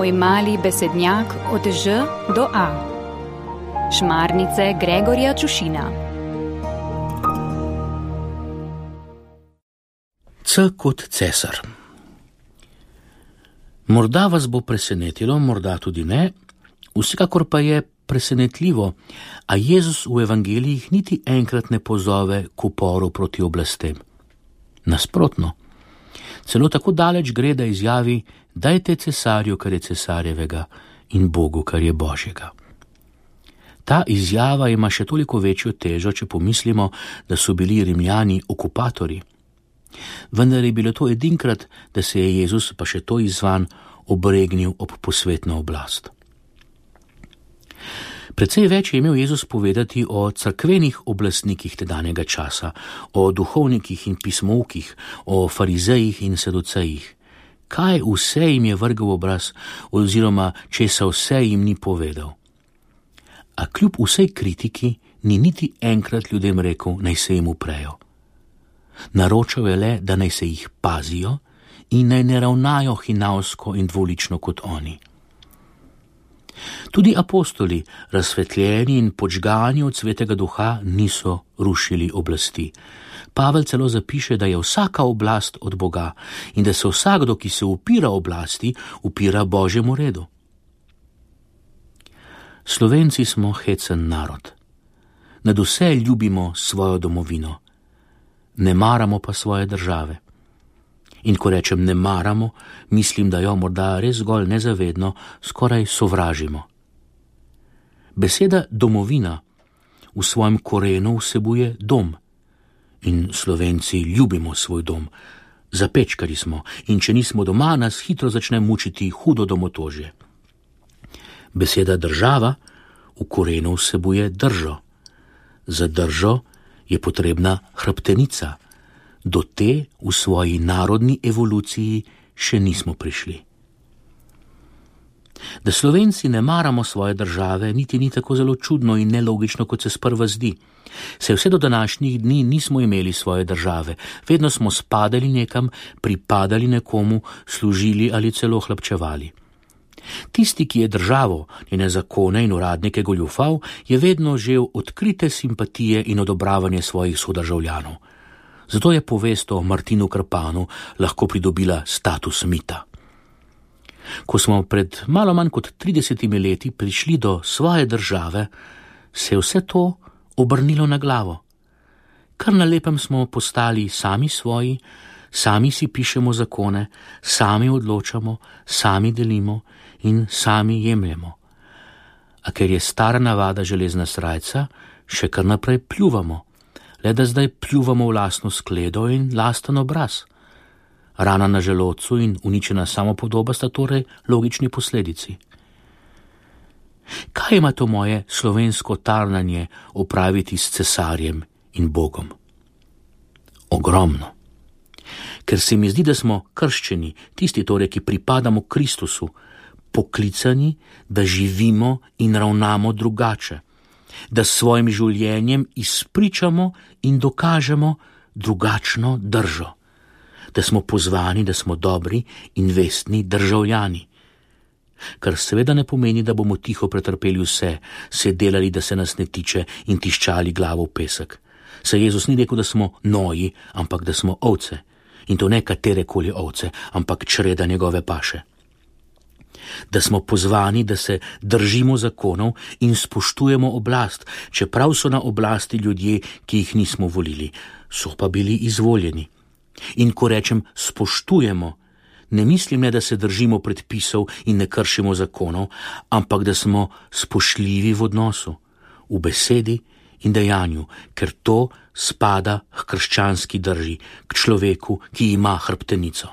Tvoj mali besednjak od Ž do A. Šmarnice Gregorja Čušina. C kot cesar. Morda vas bo presenetilo, morda tudi ne, vsekakor pa je presenetljivo, a Jezus v evangelijih niti enkrat ne pozove k uporu proti oblastem. Nasprotno, celo tako daleč gre, da izjavi: dajte cesarju, kar je cesarjevega, in Bogu, kar je Božjega. Ta izjava ima še toliko večjo težo, če pomislimo, da so bili Rimljani okupatorji. Vendar je bilo to edinkrat, da se je Jezus, pa še to izzvan, obregnil ob posvetno oblast. Precej več je imel Jezus povedati o cerkvenih oblastnikih tedanjega časa, o duhovnikih in pismoukih, o farizejih in saducejih. Kaj vse jim je vrgel v obraz, oziroma česa vse jim ni povedal. A kljub vsej kritiki ni niti enkrat ljudem rekel, naj se jim uprejo. Naročal je le, da naj se jih pazijo in naj ne ravnajo hinavsko in dvolično kot oni. Tudi apostoli, razsvetljeni in podžgani od Svetega Duha, niso rušili oblasti. Pavel celo zapiše, da je vsaka oblast od Boga in da se vsakdo, ki se upira oblasti, upira Božjemu redu. Slovenci smo hecen narod. Nad vse ljubimo svojo domovino. Ne maramo pa svoje države. In ko rečem ne maramo, mislim, da jo morda res zgolj nezavedno skoraj sovražimo. Beseda domovina v svojem korenu vsebuje dom. In Slovenci ljubimo svoj dom. Zapečkari smo in če nismo doma, nas hitro začne mučiti hudo domotožje. Beseda država v korenu vsebuje držo. Za držo je potrebna hrbtenica. Do te v svoji narodni evoluciji še nismo prišli. Da Slovenci ne maramo svoje države, niti ni tako zelo čudno in nelogično, kot se sprva zdi. Se vse do današnjih dni nismo imeli svoje države, vedno smo spadali nekam, pripadali nekomu, služili ali celo hlapčevali. Tisti, ki je državo, njene zakone in uradnike goljufal, je vedno žel odkrite simpatije in odobravanje svojih sodržavljanov. Zato je povest o Martinu Krpanu lahko pridobila status mita. Ko smo pred malo manj kot 30 leti prišli do svoje države, se je vse to obrnilo na glavo. Kar na lepem smo postali sami svoji, sami si pišemo zakone, sami odločamo, sami delimo in sami jemljemo. A ker je stara navada železna srajca, še kar naprej pljuvamo, le da zdaj pljuvamo v lastno skledo in lasten obraz. Rana na želodcu in uničena samopodoba sta torej logični posledici. Kaj ima to moje slovensko tarnanje opraviti s cesarjem in Bogom? Ogromno. Ker se mi zdi, da smo krščeni, tisti torej, ki pripadamo Kristusu, poklicani, da živimo in ravnamo drugače, da s svojim življenjem izpričamo in dokažemo drugačno držo, da smo pozvani, da smo dobri in vestni državljani. Kar seveda ne pomeni, da bomo tiho pretrpeli vse, se delali, da se nas ne tiče in tiščali glavo v pesek. Saj Jezus ni rekel, da smo noji, ampak da smo ovce. In to ne katerekoli ovce, ampak čreda njegove paše. Da smo pozvani, da se držimo zakonov in spoštujemo oblast, čeprav so na oblasti ljudje, ki jih nismo volili, so pa bili izvoljeni. In ko rečem spoštujemo, ne mislim le, da se držimo predpisov in ne kršimo zakonov, ampak da smo spoštljivi v odnosu, v besedi in dejanju, ker to spada k krščanski drži, k človeku, ki ima hrbtenico.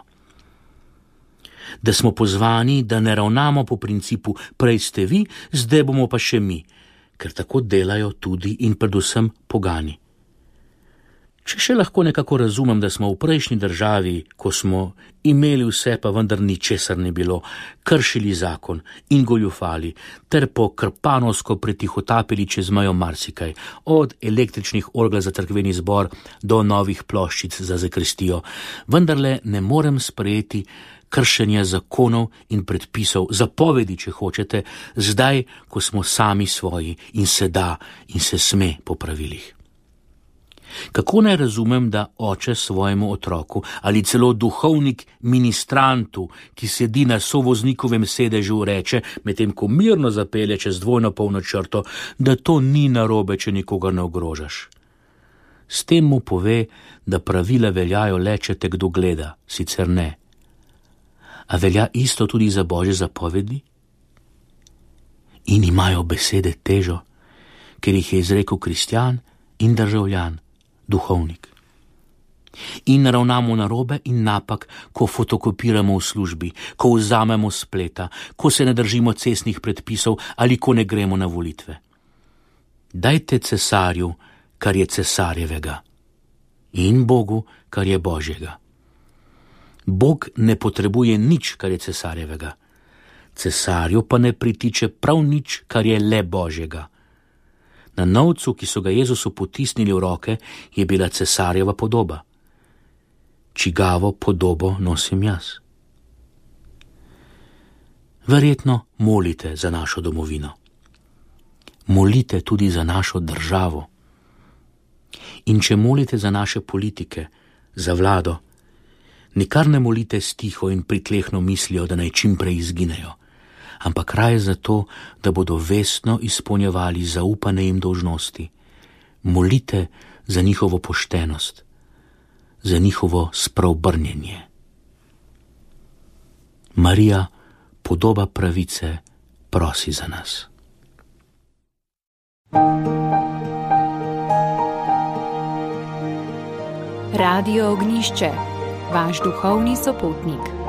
Da smo pozvani, da ne ravnamo po principu prej ste vi, zdaj bomo pa še mi, ker tako delajo tudi in predvsem pogani. Če še lahko nekako razumem, da smo v prejšnji državi, ko smo imeli vse, pa vendar ničesar ni bilo, kršili zakon in goljufali, ter po krpanovsko pretihotapili čez mejo marsikaj, od električnih orgel za cerkveni zbor do novih ploščic za zakristijo, vendarle ne morem sprejeti kršenja zakonov in predpisov, zapovedi, če hočete, zdaj, ko smo sami svoji in se da in se sme po pravilih. Kako naj razumem, da oče svojemu otroku ali celo duhovnik ministrantu, ki sedi na sovoznikovem sedežu, reče, medtem ko mirno zapelje čez dvojno polno črto, da to ni narobe, če nikogar ne ogrožaš? S tem mu pove, da pravila veljajo le, če te kdo gleda, sicer ne. A velja isto tudi za Božje zapovedi? In imajo besede težo, ker jih je izrekel kristjan in državljan, duhovnik. In ravnamo narobe in napak, ko fotokopiramo v službi, ko vzamemo spleta, ko se ne držimo cestnih predpisov ali ko ne gremo na volitve. Dajte cesarju, kar je cesarjevega, in Bogu, kar je Božjega. Bog ne potrebuje nič, kar je cesarjevega. Cesarju pa ne pritiče prav nič, kar je le Božjega. Na novcu, ki so ga Jezusu potisnili v roke, je bila cesarjeva podoba. Čigavo podobo nosim jaz? Verjetno molite za našo domovino. Molite tudi za našo državo. In če molite za naše politike, za vlado, nikar ne molite stiho in pritlehno mislijo, da naj čim prej izginejo, ampak raje zato, da bodo vestno izpolnjevali zaupane jim dolžnosti. Molite za njihovo poštenost, za njihovo spreobrnjenje. Marija, podoba pravice, prosi za nas. Radio Ognišče, vaš duhovni sopotnik.